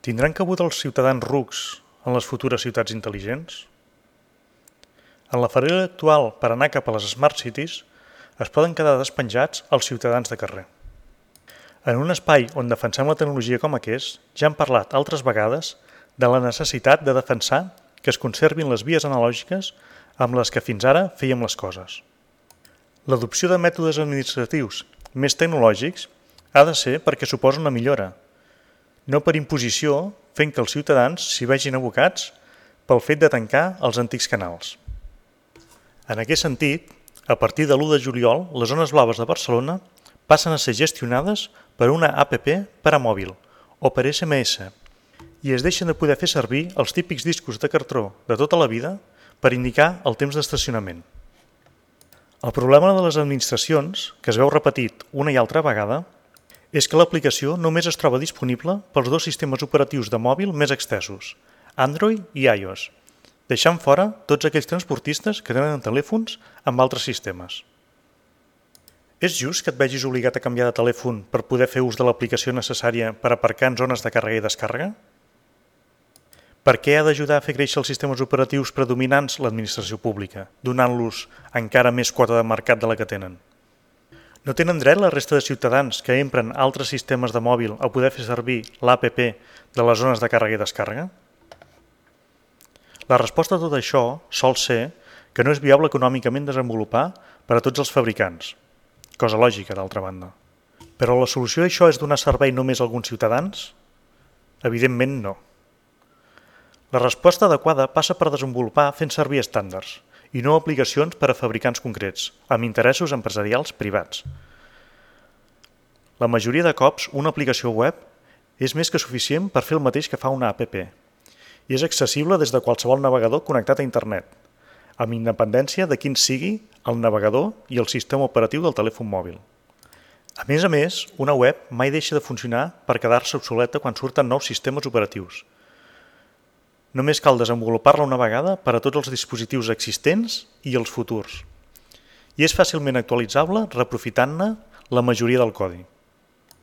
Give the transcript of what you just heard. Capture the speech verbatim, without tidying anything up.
Tindran cabut els ciutadans rucs en les futures ciutats intel·ligents? En la fariga actual per anar cap a les Smart Cities es poden quedar despenjats els ciutadans de carrer. En un espai on defensem la tecnologia com aquest, ja hem parlat altres vegades de la necessitat de defensar que es conservin les vies analògiques amb les que fins ara fèiem les coses. L'adopció de mètodes administratius més tecnològics ha de ser perquè suposa una millora, no per imposició, fent que els ciutadans s'hi vegin abocats pel fet de tancar els antics canals. En aquest sentit, a partir de l'u de juliol, les zones blaves de Barcelona passen a ser gestionades per una app per a mòbil o per esse eme esse i es deixen de poder fer servir els típics discos de cartró de tota la vida per indicar el temps d'estacionament. El problema de les administracions, que es veu repetit una i altra vegada, és que l'aplicació només es troba disponible pels dos sistemes operatius de mòbil més extesos, Android i iOS, deixant fora tots aquells transportistes que tenen telèfons amb altres sistemes. És just que et vegis obligat a canviar de telèfon per poder fer ús de l'aplicació necessària per aparcar en zones de càrrega i descàrrega? Per què ha d'ajudar a fer créixer els sistemes operatius predominants l'administració pública, donant-los encara més quota de mercat de la que tenen? No tenen dret la resta de ciutadans que empren altres sistemes de mòbil a poder fer servir l'app de les zones de càrrega i descàrrega? La resposta a tot això sol ser que no és viable econòmicament desenvolupar per a tots els fabricants, cosa lògica d'altra banda. Però la solució a això és donar servei només a alguns ciutadans? Evidentment no. La resposta adequada passa per desenvolupar fent servir estàndards i no aplicacions per a fabricants concrets, amb interessos empresarials privats. La majoria de cops, una aplicació web és més que suficient per fer el mateix que fa una app i és accessible des de qualsevol navegador connectat a internet, amb independència de quin sigui el navegador i el sistema operatiu del telèfon mòbil. A més a més, una web mai deixa de funcionar per quedar-se obsoleta quan surten nous sistemes operatius. Només cal desenvolupar-la una vegada per a tots els dispositius existents i els futurs. I és fàcilment actualitzable reaprofitant-ne la majoria del codi.